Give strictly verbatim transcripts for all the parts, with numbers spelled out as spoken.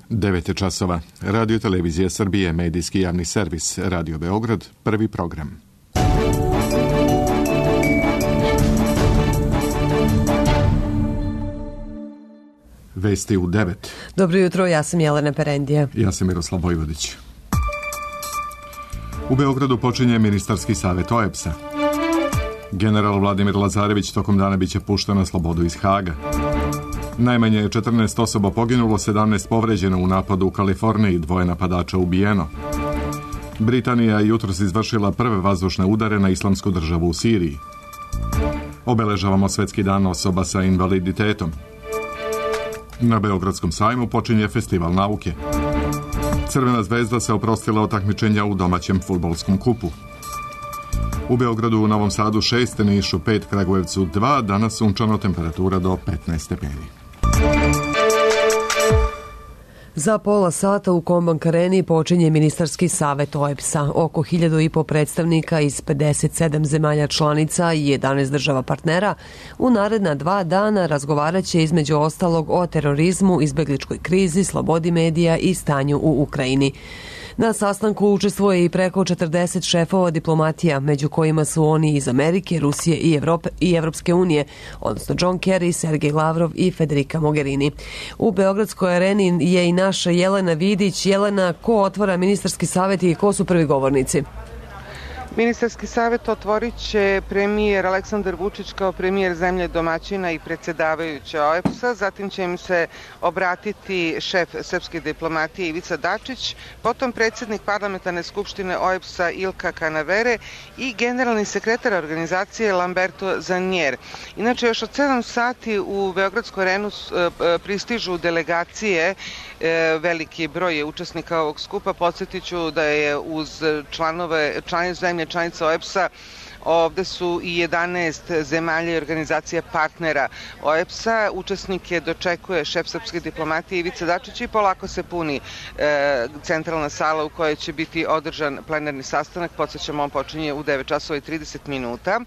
devet je časova. Radio Televizija Srbije, medijski javni servis, Radio Beograd, prvi program. Vesti u devet. Dobro jutro, ja sam Jelena Perendija. Ja sam Miroslav Vojvodić. U Beogradu počinje ministarski savjet O E B S-a. General Vladimir Lazarević tokom dana biće pušten na slobodu iz Haga. Najmanje je četrnaest osoba poginulo, sedamnaest povređeno u napadu u Kaliforniji, dvoje napadača ubijeno. Britanija je jutros izvršila prve vazdušne udare na Islamsku državu u Siriji. Obeležavamo Svetski dan osoba sa invaliditetom. Na Beogradskom sajmu počinje festival nauke. Crvena zvezda se oprostila od takmičenja u domaćem fudbalskom kupu. U Beogradu, u Novom Sadu šest, Nišu pet, Kragujevcu dva, danas sunčano, temperatura do petnaest stepeni. Za pola sata u Kombank Areni počinje ministarski savet O E B S-a. Oko hiljadu i po predstavnika iz pedeset sedam zemalja članica i jedanaest država partnera u naredna dva dana razgovaraće između ostalog o terorizmu, izbegličkoj krizi, slobodi medija i stanju u Ukrajini. Na sastanku učestvuje i preko četrdeset šefova diplomatija, među kojima su oni iz Amerike, Rusije i, Evrope, i Evropske unije, odnosno John Kerry, Sergej Lavrov i Federica Mogherini. U Beogradskoj areni je i naša Jelena Vidić. Jelena, ko otvara ministarski savjet i ko su prvi govornici? Ministarski savjet otvorit će premijer Aleksandar Vučić kao premijer zemlje domaćina i predsjedavajuća O E B S-a, zatim će im se obratiti šef srpske diplomatije Ivica Dačić, potom predsjednik parlamentarne skupštine O E B S-a Ilka Kanavere i generalni sekretar organizacije Lamberto Zanjer. Inače, još od sedam sati u Beogradsku arenu pristižu delegacije, veliki broj je učesnika ovog skupa. Podsjetiću da je uz članove, članice zemlje članica O E B S-a ovde su i jedanaest zemalja i organizacija partnera O E B S-a. Učesnike dočekuje šef srpske diplomatije Ivica Dačić i polako se puni e, centralna sala u kojoj će biti održan plenarni sastanak. Podsjećamo, on počinje u devet časova i trideset minuta.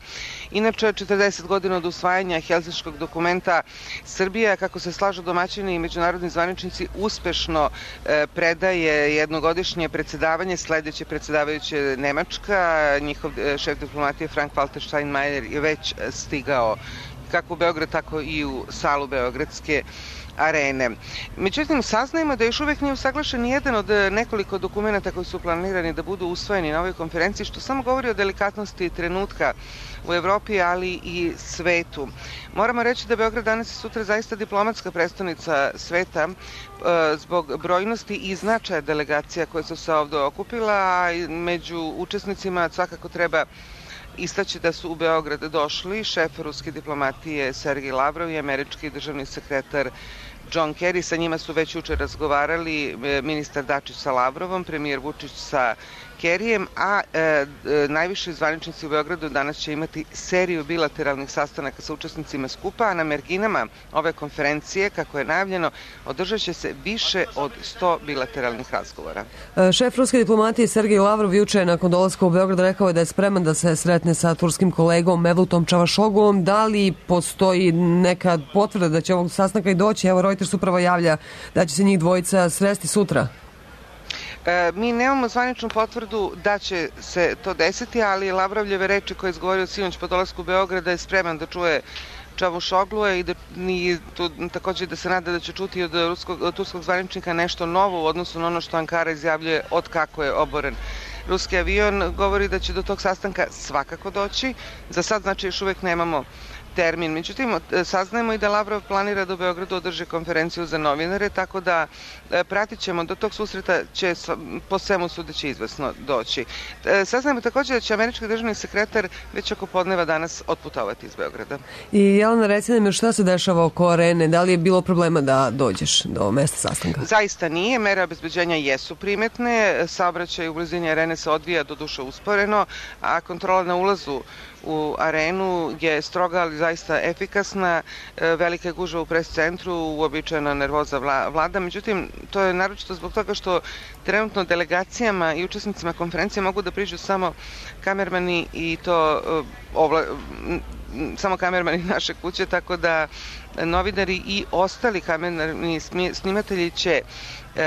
Inače, četrdeset godina od usvajanja Helsinškog dokumenta, Srbija, kako se slažu domaćini i međunarodni zvaničnici, uspešno e, predaje jednogodišnje predsjedavanje. Sledeće predsjedavajuće Nemačka, njihov e, šef diplomatije Frank-Walter Steinmeier je već stigao kako u Beograd, tako i u salu Beogradske arene. Međutim, saznajemo da još uvek nije usaglašen jedan od nekoliko dokumenta koji su planirani da budu usvojeni na ovoj konferenciji, što samo govori o delikatnosti trenutka u Evropi, ali i svetu. Moramo reći da Beograd danas i sutra zaista diplomatska prestonica sveta zbog brojnosti i značaja delegacija koje su se ovde okupila, a među učesnicima svakako treba istaći da su u Beograd došli šef ruske diplomatije Sergej Lavrov i američki državni sekretar John Kerry. Sa njima su već jučer razgovarali ministar Dačić sa Lavrovom, premijer Vučić sa Kerryjem, a e, najviši zvaničnici u Beogradu danas će imati seriju bilateralnih sastanaka sa učesnicima skupa, a na marginama ove konferencije, kako je najavljeno, održat će se više od sto bilateralnih razgovora. Šef ruske diplomatije Sergej Lavrov juče nakon dolaska u Beograd rekao je da je spreman da se sretne sa turskim kolegom Mevlutom Čavašogluom. Da li postoji neka potvrda da će ovog sastanka i doći? Evo, Reuters upravo javlja da će se njih dvojica sresti sutra. E, mi nemamo zvaničnu potvrdu da će se to desiti, ali Lavrovljeve reči koje je izgovorio sinoć po dolasku u Beograd da je spreman da čuje Čavušoglua i da i tu, također da se nada da će čuti od, ruskog, od turskog zvaničnika nešto novo u odnosu na ono što Ankara izjavljuje od kako je oboren ruski avion. Govori da će do tog sastanka svakako doći. Za sad, znači, još uvek nemamo termin. Međutim, saznajemo i da Lavrov planira da u Beogradu održi konferenciju za novinare, tako da pratit ćemo, do tog susreta će po svemu sudeći izvesno doći. Saznajemo također da će američki državni sekretar već oko podneva danas otputovati iz Beograda. I Jelena, reci nam, šta se dešava oko arene? Da li je bilo problema da dođeš do mesta sastanka? Zaista nije. Mere obezbeđenja jesu primetne. Saobraćaj u blizini arene se odvija doduše usporeno, a kontrola na ulazu u arenu je stroga, ali zaista efikasna. Velika je gužva u pres centru, uobičajena nervoza vlada. Međutim, to je naročito zbog toga što trenutno delegacijama i učesnicima konferencije mogu da priđu samo kamermani i to ovla, samo kamermani naše kuće, tako da novinari i ostali kamerni snimatelji će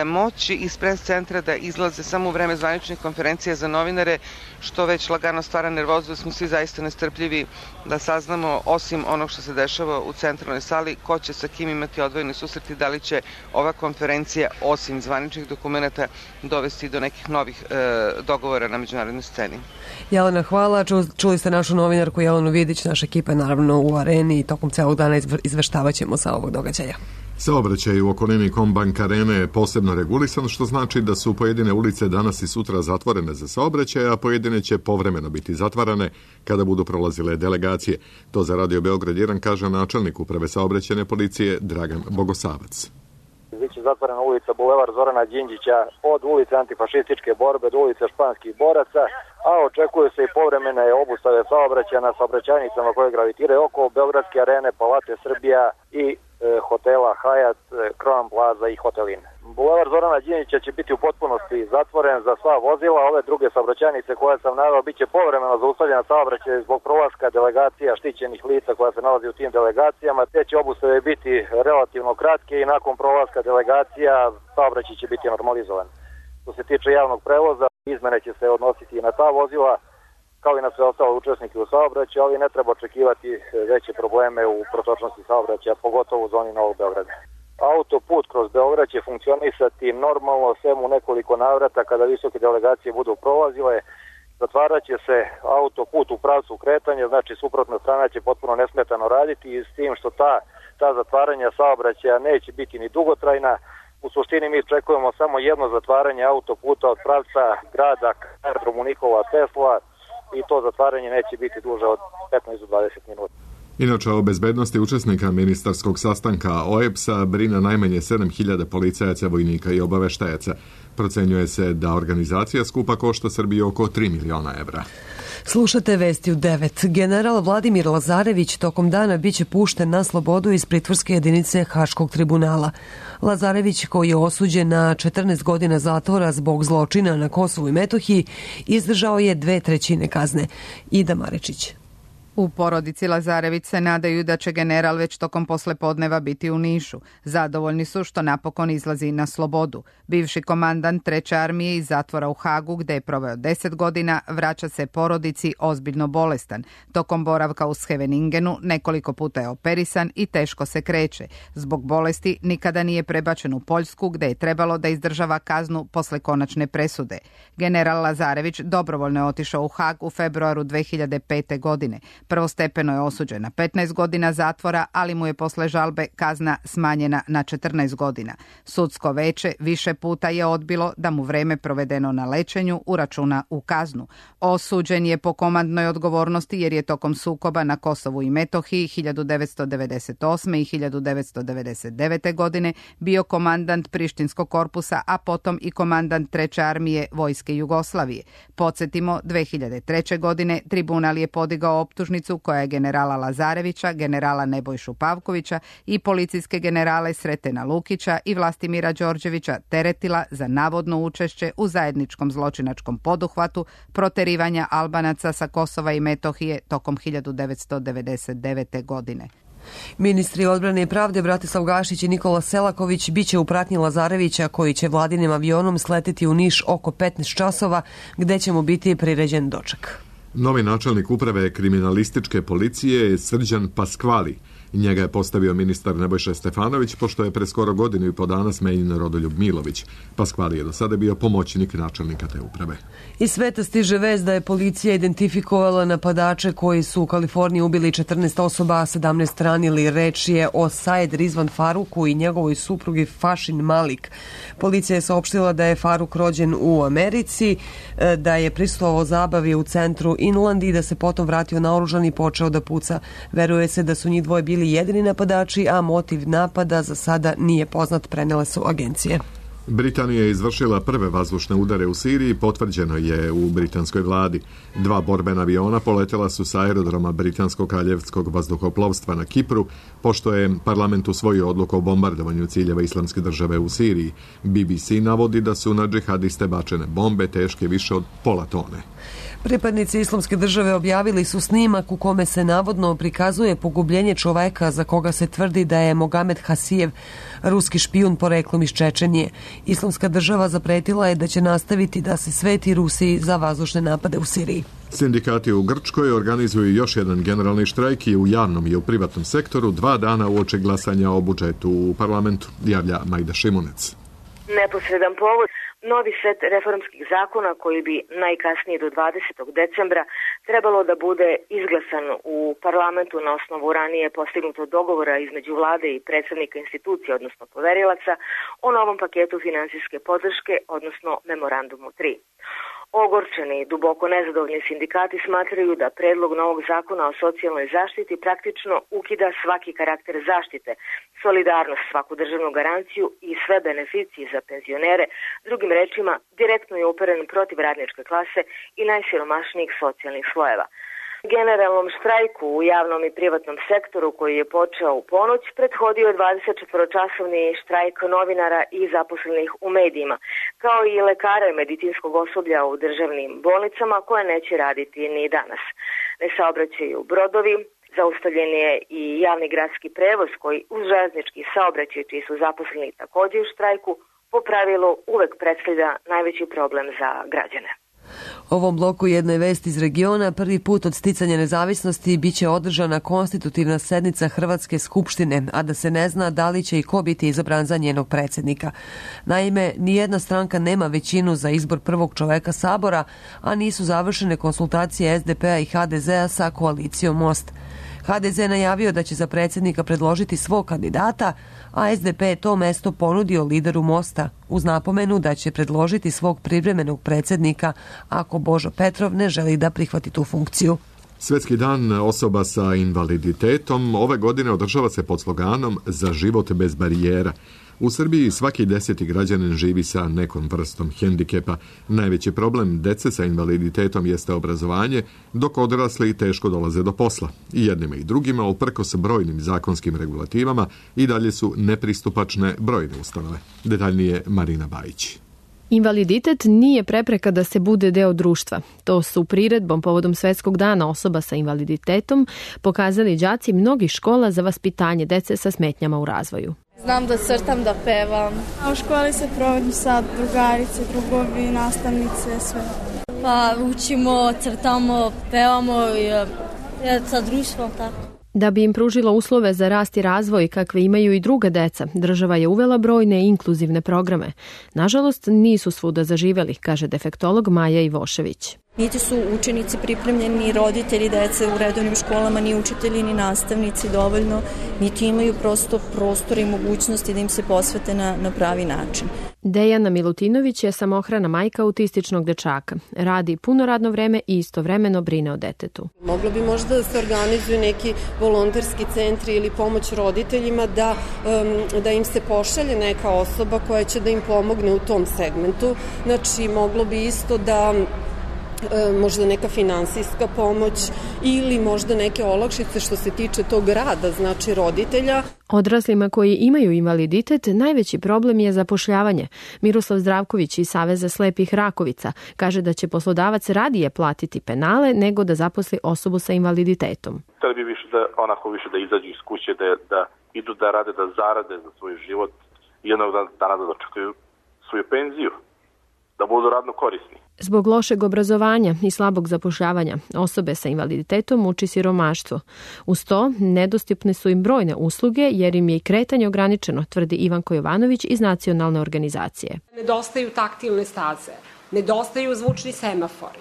moći iz pres centra da izlaze samo u vreme zvaničnih konferencija za novinare, što već lagano stvara nervozu, da smo svi zaista nestrpljivi da saznamo, osim onog što se dešava u centralnoj sali, ko će sa kim imati odvojeni susreti, da li će ova konferencija, osim zvaničnih dokumenta, dovesti do nekih novih e, dogovora na međunarodnoj sceni. Jelena, hvala. Čuli ste našu novinarku Jelenu Vidić, naša ekipa je naravno u areni i tokom celog dana izveštavaćemo sa ovog događaja. Saobraćaj u okolini Kombank arene je posebno regulisan, što znači da su pojedine ulice danas i sutra zatvorene za saobraćaj, a pojedine će povremeno biti zatvarane kada budu prolazile delegacije. To za Radio Beograd jedan kaže načelnik uprave saobraćajne policije Dragan Bogosavac. Biće zatvorena ulica Bulevar Zorana Đinđića od ulice antifašističke borbe do ulice Španskih boraca, a očekuje se i povremene obustave saobraćaja na saobraćajnicama koje gravitiraju oko Beogradske arene, Palate Srbija i e, hotela Hajat, Crown Plaza i Hotelin. Bulevar Zorana Đinđića će biti u potpunosti zatvoren za sva vozila, ove druge saobraćajnice koje sam naveo biće povremeno zaustavljena saobraćaj zbog prolaska delegacija štićenih lica koja se nalazi u tim delegacijama. Te će obustave biti relativno kratke i nakon prolaska delegacija saobraćaj će biti normalizovan. Što se tiče javnog prevoza, izmene će se odnositi i na ta vozila, kao i na sve ostale učesnike u saobraćaju, ali ne treba očekivati veće probleme u protočnosti saobraćaja, pogotovo u zoni Novog Beograda. Autoput kroz Beograd će funkcionisati normalno, sem u nekoliko navrata kada visoke delegacije budu prolazile. Zatvarat će se autoput u pravcu kretanja, znači suprotna strana će potpuno nesmetano raditi, i s tim što ta, ta zatvaranja saobraćaja neće biti ni dugotrajna. U suštini mi očekujemo samo jedno zatvaranje autoputa od pravca grada k aerodromu Nikola Tesla, i to zatvaranje neće biti duže od petnaest do dvadeset minuta. Inače, o bezbednosti učesnika ministarskog sastanka O E B S-a brine najmanje sedam hiljada policajaca, vojnika i obaveštajaca. Procenjuje se da organizacija skupa košta Srbiji oko tri miliona evra. Slušate vesti u devet. General Vladimir Lazarević tokom dana biće pušten na slobodu iz pritvorske jedinice Haškog tribunala. Lazarević, koji je osuđen na četrnaest godina zatvora zbog zločina na Kosovu i Metohiji, izdržao je dve trećine kazne. Ida Marečić. U porodici Lazarević se nadaju da će general već tokom poslepodneva biti u Nišu. Zadovoljni su što napokon izlazi na slobodu. Bivši komandant treće armije iz zatvora u Hagu, gde je proveo deset godina, vraća se porodici ozbiljno bolestan. Tokom boravka u Scheveningenu nekoliko puta je operisan i teško se kreće. Zbog bolesti nikada nije prebačen u Poljsku, gde je trebalo da izdržava kaznu posle konačne presude. General Lazarević dobrovoljno je otišao u Hag u februaru dve hiljade pete. godine. Prvostepeno je osuđen na petnaest godina zatvora, ali mu je posle žalbe kazna smanjena na četrnaest godina. Sudsko veće više puta je odbilo da mu vreme provedeno na lečenju uračuna u kaznu. Osuđen je po komandnoj odgovornosti jer je tokom sukoba na Kosovu i Metohiji hiljadu devetsto devedeset osme. i hiljadu devetsto devedeset devete. godine bio komandant Prištinskog korpusa, a potom i komandant treće armije Vojske Jugoslavije. Podsjetimo, dve hiljade treće. godine tribunal je podigao optužnicu koja je generala Lazarevića, generala Nebojšu Pavkovića i policijske generale Sretena Lukića i Vlastimira Đorđevića teretila za navodno učešće u zajedničkom zločinačkom poduhvatu proterivanja Albanaca sa Kosova i Metohije tokom hiljadu devetsto devedeset devete. godine. Ministri odbrane i pravde Bratislav Gašić i Nikola Selaković biće u pratnji Lazarevića, koji će vladinim avionom sleteti u Niš oko petnaest časova, gde će mu biti priređen doček. Novi načelnik uprave kriminalističke policije je Srđan Paskvali. Njega je postavio ministar Nebojša Stefanović, pošto je pre skoro godinu i po dana smenjen Rodoljub Milović. Paskvali je do sada bio pomoćnik načelnika te uprave. Iz sveta stiže vest da je policija identifikovala napadače koji su u Kaliforniji ubili četrnaest osoba, a sedamnaest ranili. Reč je o Said Rizvan Faruku i njegovoj suprugi Fašin Malik. Policija je saopštila da je Faruk rođen u Americi, da je prisustvovao zabavi u centru Inland i da se potom vratio naoružan i počeo da puca. Veruje se da su njih dvoje bili jedini napadači, a motiv napada za sada nije poznat, prenele su agencije. Britanija je izvršila prve vazdušne udare u Siriji, potvrđeno je u britanskoj vladi. Dva borbena aviona poletela su sa aerodroma Britanskog kraljevskog vazduhoplovstva na Kipru, pošto je parlament usvojio odluku o bombardovanju ciljeva Islamske države u Siriji. B B C navodi da su na džihadiste bačene bombe teške više od pola tone. Pripadnici Islamske države objavili su snimak u kome se navodno prikazuje pogubljenje čoveka za koga se tvrdi da je Mogamed Hasijev, ruski špijun poreklom iz Čečenije. Islamska država zapretila je da će nastaviti da se sveti Rusiji za vazdušne napade u Siriji. Sindikati u Grčkoj organizuju još jedan generalni štrajk i u javnom i u privatnom sektoru dva dana uoči glasanja o budžetu u parlamentu, javlja Majda Šimunec. Neposredan povod, novi set reformskih zakona koji bi najkasnije do dvadesetog decembra trebalo da bude izglasan u parlamentu na osnovu ranije postignutog dogovora između vlade i predstavnika institucija, odnosno poverilaca, o novom paketu finansijske podrške, odnosno memorandumu tri. Ogorčeni i duboko nezadovoljni sindikati smatraju da predlog novog zakona o socijalnoj zaštiti praktično ukida svaki karakter zaštite, solidarnost, svaku državnu garanciju i sve beneficije za penzionere, drugim rečima direktno je uperen protiv radničke klase i najsiromašnijih socijalnih slojeva. Generalnom štrajku u javnom i privatnom sektoru koji je počeo u ponoć prethodio je dvadesetčetvoročasovni štrajk novinara i zaposlenih u medijima, kao i lekara i medicinskog osoblja u državnim bolnicama koje neće raditi ni danas. Ne saobraćaju brodovi, zaustavljen je i javni gradski prevoz koji uz železnički saobraćaj čiji su zaposleni također u štrajku po pravilu uvek predstavlja najveći problem za građane. Ovom bloku jedne vesti iz regiona prvi put od sticanja nezavisnosti biće održana konstitutivna sednica Hrvatske skupštine, a da se ne zna da li će i ko biti izabran za njenog predsjednika. Naime, nijedna stranka nema većinu za izbor prvog čoveka Sabora, a nisu završene konsultacije S D P-a i H D Z-a sa koalicijom Most. H D Z najavio da će za predsjednika predložiti svog kandidata, a S D P je to mesto ponudio lideru Mosta uz napomenu da će predložiti svog privremenog predsjednika ako Božo Petrov ne želi da prihvati tu funkciju. Svetski dan osoba sa invaliditetom ove godine održava se pod sloganom Za život bez barijera. U Srbiji svaki deseti građanin živi sa nekom vrstom hendikepa. Najveći problem dece sa invaliditetom jeste obrazovanje, dok odrasli teško dolaze do posla. I jednima i drugima, uprkos brojnim zakonskim regulativama, i dalje su nepristupačne brojne ustanove. Detaljnije Marina Bajić. Invaliditet nije prepreka da se bude deo društva. To su priredbom povodom Svetskog dana osoba sa invaliditetom pokazali đaci mnogih škola za vaspitanje dece sa smetnjama u razvoju. Znam da crtam, da pevam. A u školi se provodim sad drugarice, drugovi, nastavnice, sve. Pa učimo, crtamo, pevamo i sa društvom tako. Da bi im pružila uslove za rast i razvoj kakve imaju i druga deca, država je uvela brojne inkluzivne programe. Nažalost, nisu svuda zaživeli, kaže defektolog Maja Ivošević. Niti su učenici pripremljeni, ni roditelji dece u redovnim školama, ni učitelji, ni nastavnici dovoljno, niti imaju prosto prostor i mogućnosti da im se posvete na, na pravi način. Dejana Milutinović je samohrana majka autističnog dečaka. Radi puno radno vreme i istovremeno brine o detetu. Moglo bi možda da se organizuju neki volonterski centri ili pomoć roditeljima da, um, da im se pošalje neka osoba koja će da im pomogne u tom segmentu. Znači, moglo bi isto da možda neka finansijska pomoć ili možda neke olakšice što se tiče tog rada, znači roditelja. Odraslima koji imaju invaliditet najveći problem je zapošljavanje. Miroslav Zdravković iz Saveza slepih Rakovica kaže da će poslodavac radije platiti penale nego da zaposli osobu sa invaliditetom. Hteli bi više da, onako više da izađu iz kuće, da, da idu da rade, da zarade za svoj život i jednog dana da dočekaju svoju penziju, da budu radno korisni. Zbog lošeg obrazovanja i slabog zapošljavanja osobe sa invaliditetom muči siromaštvo. Uz to, nedostupne su im brojne usluge jer im je i kretanje ograničeno, tvrdi Ivanko Jovanović iz nacionalne organizacije. Nedostaju taktilne staze, nedostaju zvučni semafori.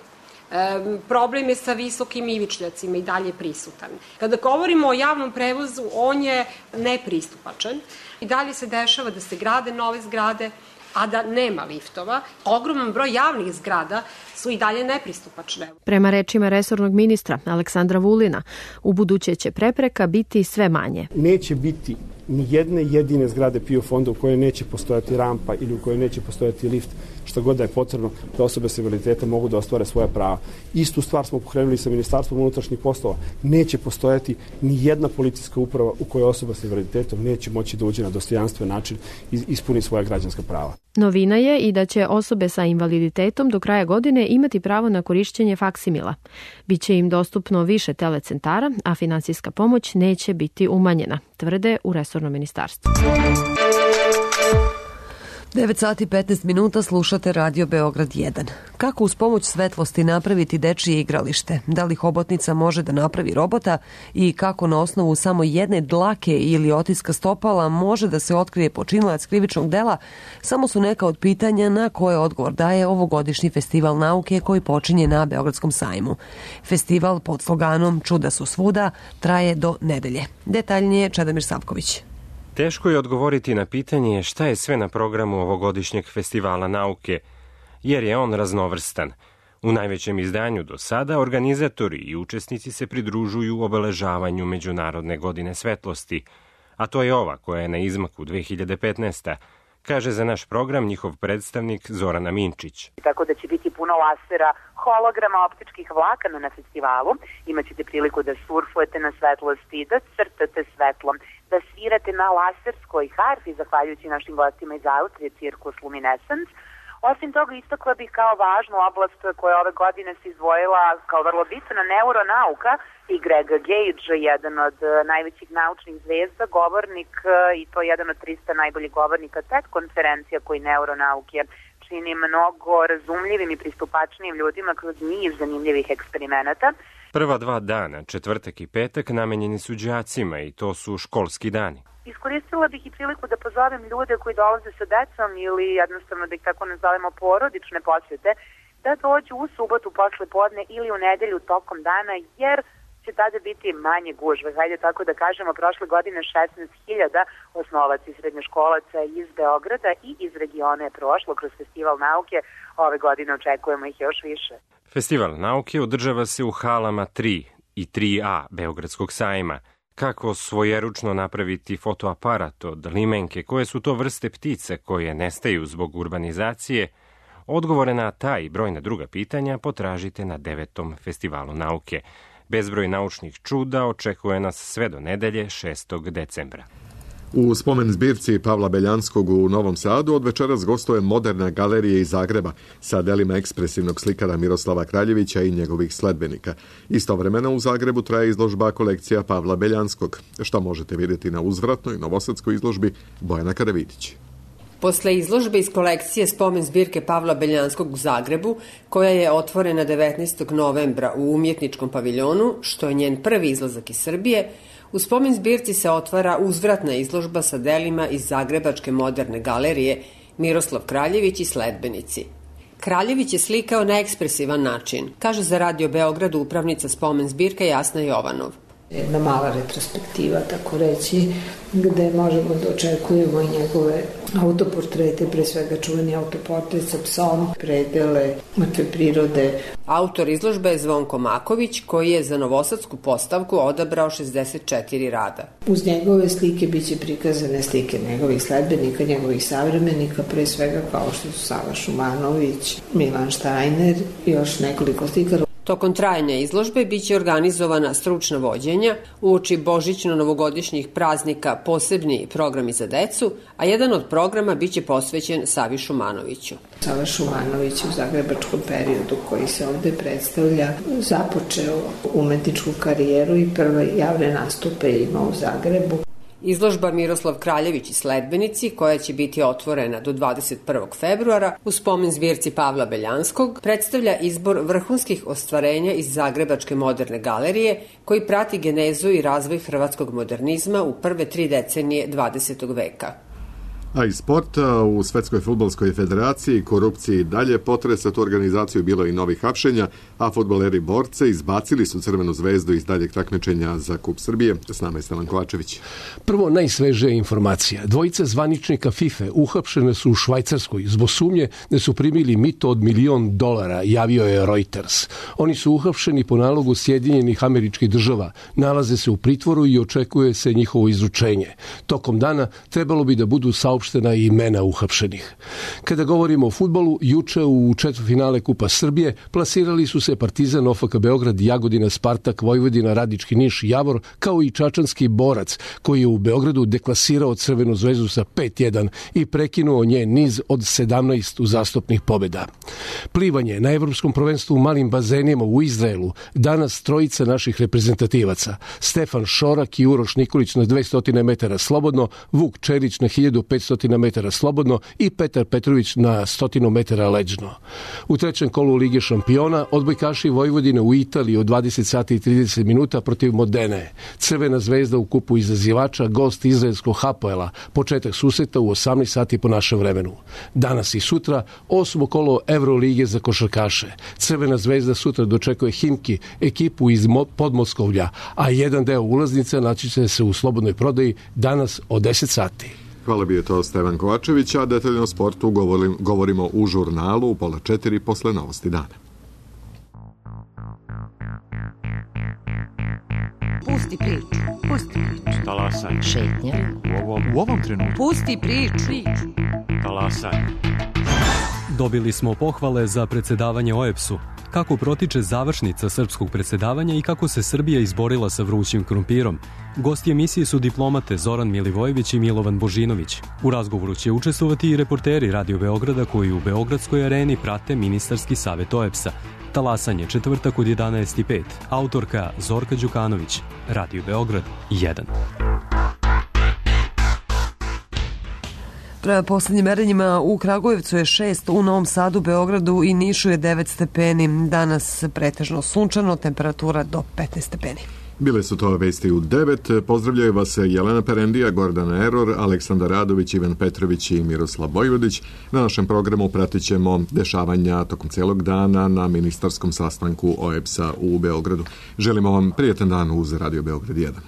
E, problem je sa visokim ivičnjacima i dalje prisutan. Kada govorimo o javnom prevozu, on je nepristupačan. I dalje se dešava da se grade nove zgrade, a da nema liftova. Ogroman broj javnih zgrada su i dalje nepristupačne. Prema rečima resornog ministra Aleksandra Vulina, u buduće će prepreka biti sve manje. Neće biti ni jedne jedine zgrade P I O fonda u kojoj neće postojati rampa ili u kojoj neće postojati lift, što god da je potrebno da osobe s invaliditetom mogu da ostvare svoja prava. Istu stvar smo pokrenuli sa Ministarstvom unutrašnjih poslova. Neće postojati ni jedna policijska uprava u kojoj osoba s invaliditetom neće moći da uđe na dostojanstven način i ispuni svoja građanska prava. Novina je i da će osobe sa invaliditetom do kraja godine imati pravo na korišćenje faksimila. Biće im dostupno više telecentara, a finansijska pomoć neće biti umanjena, tvrde u resornom ministarstvu. devet sati i petnaest minuta, slušate Radio Beograd jedan. Kako uz pomoć svetlosti napraviti dečije igralište? Da li hobotnica može da napravi robota? I kako na osnovu samo jedne dlake ili otiska stopala može da se otkrije počinilac krivičnog dela? Samo su neka od pitanja na koje odgovor daje ovogodišnji festival nauke koji počinje na Beogradskom sajmu. Festival pod sloganom Čuda su svuda traje do nedelje. Detaljnije Čedomir Savković. Teško je odgovoriti na pitanje šta je sve na programu ovogodišnjeg festivala nauke, jer je on raznovrstan. U najvećem izdanju do sada organizatori i učesnici se pridružuju obeležavanju Međunarodne godine svetlosti, a to je ova koja je na izmaku dve hiljade petnaeste. Kaže za naš program njihov predstavnik Zorana Minčić. Tako da će biti puno lasera, holograma, optičkih vlakana na festivalu. Imaćete priliku da surfujete na svetlosti, da crtate svetlom, da svirate na laserskoj harfi, zahvaljujući našim gostima iz Austrije, Circus Luminescence. Osim toga, istakla bih kao važnu oblast koja ove godine se izdvojila kao vrlo bitna neuronauka i Greg Gage, jedan od najvećih naučnih zvezda, govornik i to jedan od trista najboljih govornika TED konferencija koji neuronauke čini mnogo razumljivim i pristupačnijim ljudima kroz niz zanimljivih eksperimenata. Prva dva dana, četvrtak i petak, namenjeni su đacima i to su školski dani. Iskoristila bih i priliku da pozovem ljude koji dolaze sa decom ili jednostavno da ih tako nazovemo porodične posjete, da dođu u subotu posle podne ili u nedelju tokom dana, jer će tada biti manje gužve. Hajde tako da kažemo, prošle godine šesnaest hiljada osnovaca i srednjoškolaca iz Beograda i iz regiona je prošlo kroz festival nauke. Ove godine očekujemo ih još više. Festival nauke održava se u halama tri i tri A Beogradskog sajma. Kako svojeručno napraviti fotoaparat od limenke, koje su to vrste ptice koje nestaju zbog urbanizacije? Odgovore na ta i brojna druga pitanja potražite na devetom festivalu nauke. Bezbroj naučnih čuda očekuje nas sve do nedelje šestog decembra. U spomen zbirci Pavla Beljanskog u Novom Sadu od večeras gostuje Moderna galerija iz Zagreba sa delima ekspresivnog slikara Miroslava Kraljevića i njegovih sledbenika. Istovremeno u Zagrebu traje izložba kolekcija Pavla Beljanskog, što možete vidjeti na uzvratnoj novosadskoj izložbi Bojana Karavidić. Posle izložbe iz kolekcije spomen zbirke Pavla Beljanskog u Zagrebu, koja je otvorena devetnaestog novembra u Umjetničkom paviljonu, što je njen prvi izlazak iz Srbije, u spomen zbirci se otvara uzvratna izložba sa delima iz Zagrebačke moderne galerije Miroslav Kraljević i sledbenici. Kraljević je slikao na ekspresivan način, kaže za Radio Beograd upravnica spomen zbirke Jasna Jovanov. Jedna mala retrospektiva, tako reći, gde možemo da očekujemo i njegove autoportrete, pre svega čuveni autoportret sa psom, predele, mrtve prirode. Autor izložbe je Zvonko Maković, koji je za novosadsku postavku odabrao šezdeset četiri rada. Uz njegove slike biće prikazane slike njegovih sledbenika, njegovih savremenika, pre svega kao što su Sava Šumanović, Milan Štajner i još nekoliko slikara. Tokom trajanja izložbe biće organizovana stručna vođenja, uoči božićno-novogodišnjih praznika posebni programi za decu, a jedan od programa biće posvećen Savi Šumanoviću. Sava Šumanović u zagrebačkom periodu koji se ovde predstavlja započeo umetničku karijeru i prve javne nastupe imao u Zagrebu. Izložba Miroslav Kraljević i sledbenici, koja će biti otvorena do dvadeset prvog februara u spomen zbirci Pavla Beljanskog, predstavlja izbor vrhunskih ostvarenja iz Zagrebačke moderne galerije, koji prati genezu i razvoj hrvatskog modernizma u prve tri decenije dvadesetog veka. A i sport, u Svetskoj fudbalskoj federaciji korupciji dalje potresa tu organizaciju, bilo i novih hapšenja, a fudbaleri borce izbacili su Crvenu zvezdu iz daljeg takmičenja za Kup Srbije. S nama je Stevan Kovačević. Prvo, najsvežija informacija. Dvojica zvaničnika FIFA uhapšene su u Švajcarskoj zbog sumnje da su primili mito od milion dolara, javio je Reuters. Oni su uhapšeni po nalogu Sjedinjenih Američkih Država, nalaze se u pritvoru i očekuje se njihovo izručenje. Tokom dana trebalo bi da budu saopštena i imena uhapšenih. Kada govorimo o fudbalu, juče u četvrtfinale Kupa Srbije plasirali su se Partizan, O F K Beograd, Jagodina, Spartak, Vojvodina, Radnički Niš, Javor, kao i čačanski Borac, koji je u Beogradu deklasirao Crvenu zvezdu sa pet jedan i prekinuo njen niz od sedamnaest uzastopnih pobjeda. Plivanje na Evropskom prvenstvu u malim bazenima u Izraelu, danas trojica naših reprezentativaca: Stefan Šorak i Uroš Nikolić na dvesta metara slobodno, Vuk Čerić na hiljadu petsto metara slobodno i Petar Petrović na sto metara leđno. U trećem kolu Lige šampiona odbojkaši Vojvodine u Italiji od dvadeset sati i trideset minuta protiv Modene. Crvena zvezda u kupu izazivača, gost izraelskog Hapoela, početak susreta u osamnaest sati po našem vremenu. Danas i sutra osmo kolo Evrolige za košarkaše. Crvena zvezda sutra dočekuje Himki, ekipu iz Podmoskovlja, a jedan deo ulaznica naći će se u slobodnoj prodaji danas od deset sati. Hvala, bi je to Stevan Kovačević, a detaljno o sportu govorim, govorimo u žurnalu u pola četiri posle novosti dana. Pusti priču, pusti priču. Talasaj. Šetnja. U ovom, u ovom trenutku. Pusti priču. Talasaj. Dobili smo pohvale za predsedavanje O E B S-u. Kako protiče završnica srpskog predsedavanja i kako se Srbija izborila sa vrućim krumpirom. Gosti emisije su diplomate Zoran Milivojević i Milovan Božinović. U razgovoru će učestvovati i reporteri Radio Beograda koji u Beogradskoj areni prate ministarski savet O E B S-a. Talasanje četvrtak od jedanaest i pet. Autorka Zorka Đukanović. Radio Beograd jedan. Prema poslednjim merenjima u Kragujevcu je šest, u Novom Sadu, Beogradu i Nišu je devet stepeni. Danas pretežno sunčano, temperatura do petnaest stepeni. Bile su to vesti u devet. Pozdravljaju vas Jelena Perendija, Gordana Eror, Aleksandar Radović, Ivan Petrović i Miroslav Vojvodić. Na našem programu pratit ćemo dešavanja tokom cijelog dana na ministarskom sastanku O E B S-a u Beogradu. Želimo vam prijetan dan uz Radio Beograd jedan.